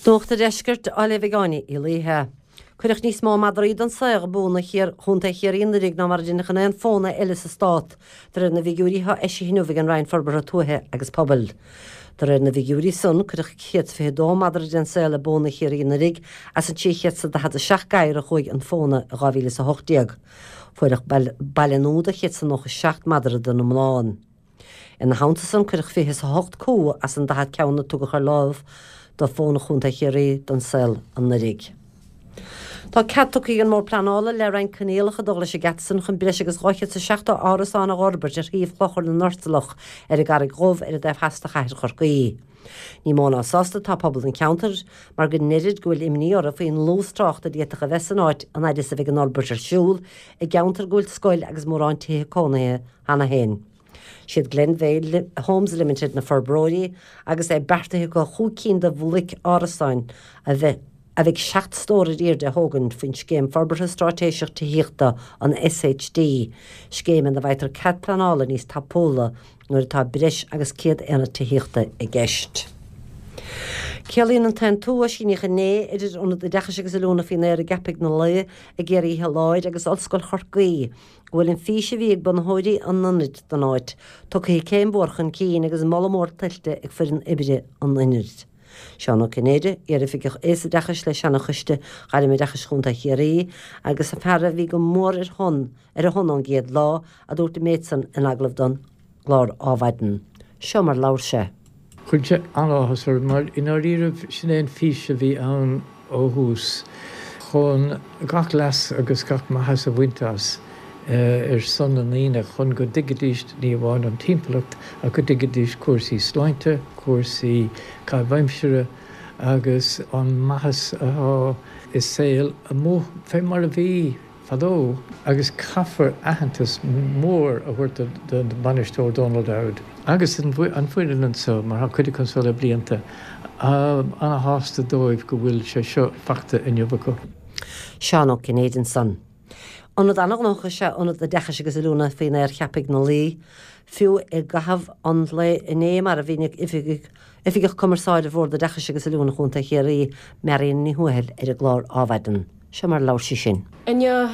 Nuacht an Deiscirt á léamh ag Áine Uí Laoithe. Cuireadh níos mó madraí don saol i bpóna Chontae Chiarraí anuraidh ná mar a deineadh in aon phóna eile sa stát, de réir na bhfigiúirí atá eisithe inniu ag an Roinn Forbartha Tuaithe agus Pobail. De réir na bhfigiúirí san, cuireadh 122 madra den saol i bpóna Chiarraí anuraidh as an 347 gadhar a chuaigh an phóna i 2018. Fuaireadh baile nua do 197 madra den iomlán. Ina theannta san, cuireadh 28 cú as an 40 ceann a tugadh ar láimh do phóna Chontae Chiarraí don saol anuraidh. Tá cead tugtha ag an mBord Pleanála le roinnt coinníollacha ag dul leis an gcead san chun breis agus 270 árasán a dh'fhorbairt ar shuíomh Chlochar na nOrtalach ar an gCarraig Dhubh ar an dtaobh theas de chathair Chorcaí. Ní mó ná sásta atá pobal an cheantair mar go ndeirid go bhfuil imní orthu faoin ndlús tráchta a d'fhéadfadh a bheith san áit an fhaid is a bheidh an fhorbairt ar siúl i gceantar go bhfuil scoil agus mórán tithe cónaithe cheana féin. Siad Glenveagh Homes Limited na forbróirí agus é beartaithe acu chúig cinn de bhloic árasáin a bheidh a bheidh 7 stór ar airde a thógaint faoin Scéim Forbartha Straitéiseach Tithíochta, an SHD, scéim ina bhfaightear cead pleanála níos tapúla nuair atá breis agus 100 aonad tithíochta i gceist. Ciallaíonn an t-aontú a síníodh inné idir Ionad Oideachais agus Oiliúna faoin Aer i gCeapaigh na Laoi i gCiarraí Láir agus Ollscoil Chorcaí go bhfuil an fís a bhí ag bunaitheoirí an ionaid don áit tugtha céim mhór chun cinn agus moladh mór tuillte ag foireann oibre an ionaid. Seán Ó Cinnéide, Iar-Oifigeach Aosoideachais le Seana-Choiste Ghairmoideachais Chontae Chiarraí agus an fear a bhí go mór ar shon ar a shon ón gcéad lá, a dúirt an méid san in agallamh don gclár Ádhmhaidin. Seo mar labhair sé. Chuir sé an-áthas orm mar i ndáiríribh sin é an fís a bhí ann ó thús, chun gach leas agus gach maitheas a bhaint as ar son na ndaoine, chun go dtuigfidís ní amháin an timpeallacht ach go dtuigfidís cúrsaí sláinte, cúrsaí caitheamh aimsire agus an maitheas atá i saol amuigh fé mar a bhí. fadó agus caithfear aitheantas mór a thabhairt don bhainisteoir Dónal Dowd agus an foireann anseo mar tá cuid acu anseo le blianta. Ana-shásta dóibh go bhfuil sé seo faighte inniu acu. Seán Ó Cinnéide ansan. Ionad an-ghnóthach is ea Ionad Oideachais agus Oiliúna faoin Aer Cheapaigh na Laoi, fiú i gcaitheamh an lae inné mar a mhínigh Oifigeach Cumarsáide Bhord Oideachais agus Oiliúna Chontae Chiarraí, Marion Ní Thuathail ar an gclár Ádhmhaidin. Seo mar a labhair sí sin. Inniu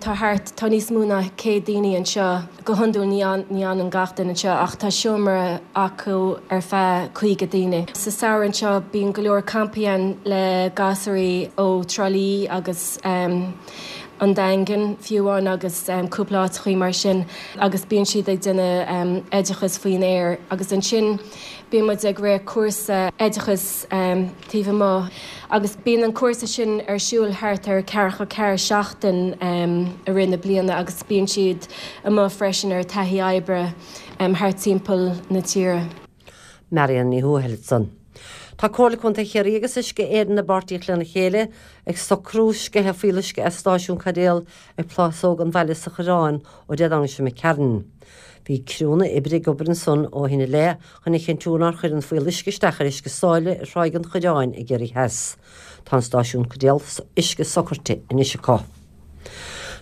tá thart, tá níos mó ná 100 daoine anseo. Go hiondúil ní fhanann gach duine anseo ach tá seomra acu ar feadh 50 daoine. Sa samhradh anseo bíonn go leor campaí ann le gasúraí ó Trá Lí agus an Daingean fiú amháin agus cúpla áiteachaí mar sin agus bíonn siad ag déanamh oideachas faoin aer agus ansin bíonn muid ag rith cúrsa oideachais taobh amuigh agus bíonn an cúrsa sin ar siúl thart ar ceathracha ceathair seachtain i rith na bliana agus bíonn siad amuigh freisin ar taithí oibre thart timpeall na tíre. Marion Ní Thuathail ansan. Tá Comhairle Contae Chiarraí agus Uisce Éireann i bpáirtíocht lena chéile ag socrú sceitheadh fuíolluisce as stáisiún caidéal ag Plásóg an Bhaile sa Choireán ó Dé Domhnaigh seo imigh tharainn. Bhí criúnna oibre ag obair ansan ó shin i leith chun a chinntiú nár chuir an fuíolluisce isteach ar uisce sáile ar Thráigh an Choireáin i gCiarraí Theas. Tá an stáisiún caidéal uisce socraite anois acu.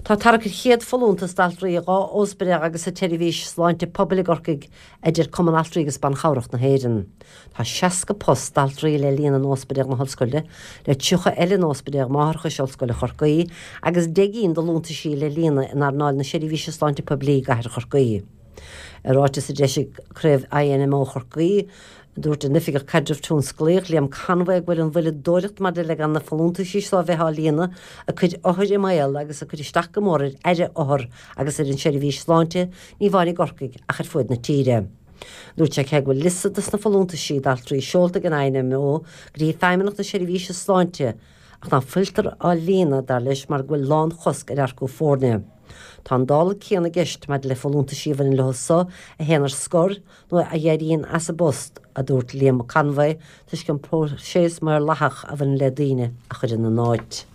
Tá tarrac ar chéad folúntas d'altraí i 2 óspidéal agus sa tseirbhís sláinte pobail i gCorcaigh, a deir Cumann Altraí agus Ban Chabhrach na hÉireann. Tá 60 post d'altraí le líonadh in Óspidéal na hOllscoile, le 30 eile in Óspidéal Máithreachais Ollscoile Chorcaí agus 10 gcinn de fholúntaisí le líonadh in earnáil na seirbhíse sláinte poiblí i gcathair Chorcaí. I ráiteas a d'eisigh Craobh INMO Chorcaí, dúirt an Oifigeach Caidrimh Tionsclaíoch, Liam Conway, go bhfuil an mhoilleadóireacht maidir le gan na folúntaisí seo a bheith á líonadh ag cur othair i mbaol agus ag cur isteach go mór ar aire othar agus ar an seirbhís sláinte, ní amháin i gCorcaigh ach ar fuaid na tíre. Dúirt sé cé go bhfuil liosta dos na folúntaisí d'altraí seolta ag an INMO go dtí Feidhmeannacht na Seirbhíse Sláinte ach ná fuiltear á líonadh, dar leis, mar go bhfuil lánchosc ar earcú foirne. Tá an dála céanna i gceist maidir le folúntaisí a bhaineann leo so a théann ar scor nó a éiríonn as a bpost, a dúirt Liam Conway, toisc an próiseas maorlathach a bhaineann le daoine a chur ina n-áit.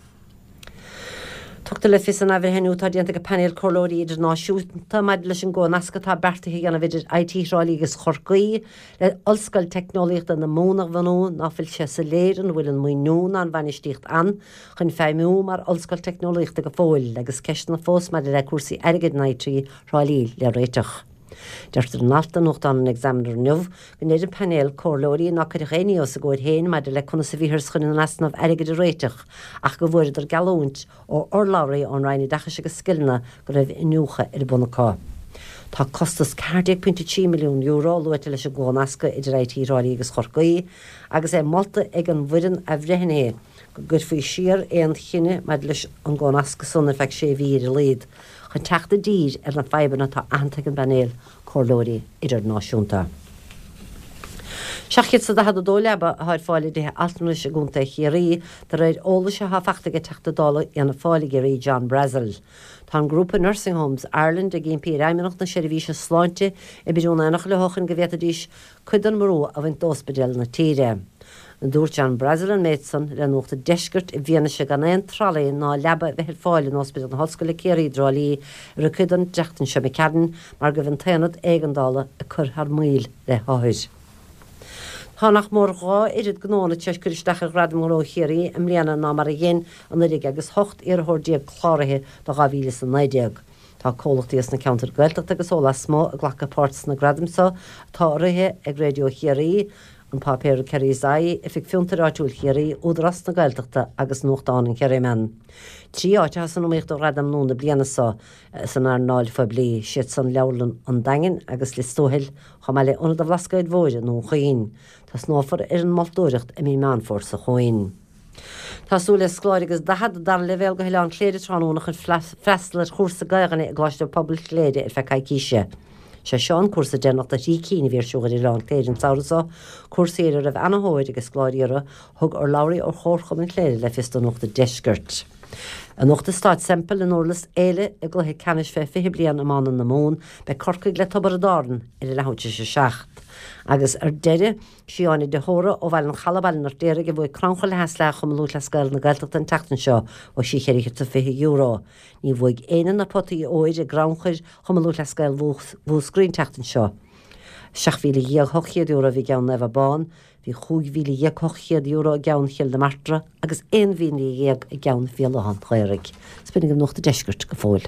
Tugtar le fios san athbhreithniú atá déanta ag painéal comhairleoirí idirnáisiúnta maidir leis an gcomhnasc atá beartaithe a dhéanamh idir IT Thrá Lí agus Chorcaí le Ollscoil Teicneolaíochta na Mumhan a bhunú ná fuil sé soiléir an bhfuil an maoiniú ná an bhainistíocht ann chun feidhmiú mar Ollscoil Teicneolaíochta go fóill agus ceisteanna fós maidir le cúrsaí airgid in IT Thrá Lí le réiteach. Deirtear in alt i nuachtán an Examiner inniu go ndeir an painéal comhairleoirí ná cuireadh aon ní os a gcomhair féin maidir le conas a bhíothas chun an easnamh airgid a réiteach ach go bhfuaireadar geallúint ó urlabhraí ón Roinn Oideachais agus Scileanna go raibh iniúchadh ar bun acu. Tá costas €14.3 milliún luaite leis an gcomhnascadh idir IT Thrá Lí agus Chorcaí agus é molta ag an bhfoireann athbhreithnithe go gcuirfí siar aon chinneadh maidir leis an gcomhnascadh san ar feadh sé mhí ar a laghad chun teacht i dtír ar na fadhbanna atá aitheanta ag an bpainéal comhairleoirí idirnáisiúnta. 742 leaba atá ar fáil i dtithe altranais i gContae Chiarraí, de réir eolais atá fachta ag Teachta Dála Fhianna Fáil i gCiarraí, John Brassil. Tá an grúpa Nursing Homes Ireland ag impí ar Fheidhmeannacht na Seirbhíse Sláinte oibriú in éineacht leo chun go bhféadfaidís cuid den mbrú a bhaint d'óspidéil na tíre. Dúirt John Brassil an méid san le Nuacht an Deiscirt i bhfianaise gan aon tralaí ná leaba a bheith ar fáil in Ospidéal na hOllscoile Ciarraí i dTrá Lí i rith cuid den tseachtain seo imigh tharainn mar go raibh an t-aonad éigeandála ag cur thar maoil le hothair. Tá nach mór 2 oiread gnóanna tar éis cur isteach ar Ghradaim Ghnó Chiarraí i mbliana ná mar a dhein anuraidh agus 18 iarrthóir cláraithe do 2019. Tá comhlachtaí as na ceantair Gaeltachta agus ó lasmuigh ag glacadh páirt sna gradaim seo atá urraithe ag Raidió Chiarraí, an páipéar Kerry's Eye, Oifig Fiontair Áitiúil Chiarraí, Údarás na Gaeltachta agus nuachtán an Kerryman. 3 áit atá san iomaíocht do Ghradam Gnó na bliana seo san earnáil phoiblí, siad san Leabharlann an Daingin agus Lios Tuathail, chomh maith le Ionad an Bhlascaoid Mhóir i nDún Chaoin. Tosnófar ar an moltóireacht i mí Meán Fómhair seo chugainn. Tá súil le scoláirí agus 40 dara leibhéal go hOileán Chléire tráthnóna chun freastal ar chúrsa Gaelainne i gColáiste Pobail Chléire ar feadh coicíse. Sé seo an cúrsa deireanach de thrí cinn a bhí ar siúl ar Oileán Chléire an samhradh seo, cúrsaí ar a raibh ana-thóir ag scoláirí orthu, thug urlabhraí ó Chomharchumann Chléire le fios do Nuacht an Deiscirt. Anocht i Staid Semple i nDurlas Éile i gcluiche ceannais fé 20 bliain iomána na Mumhan, beidh Corcaigh le Tiobraid Árann ar a leathuair tar éis a 7. Agus ar deireadh, Sí Áine de hÓra ó Bhaile an Chalaidh, Baile an Fheirtéaraigh, a bhuaigh Crannchur le hAis Leath Chumann Lúthchleas Gael na Gaeltachta an tseachtain seo, bhuaigh sí €420. Ní bhuaigh éinne na potaí óir i gCrannchur Chumann Lúthchleas Gael Mhúscraí an tseachtain seo. €17,800 a bhí i gceann Naomh Abán, bhí €15,800 i gceann Chill na Martra agus €11,000 i gceann Bhéal Átha an Ghaorthaidh. Is b'in agaibh Nuacht an Deiscirt go fóill.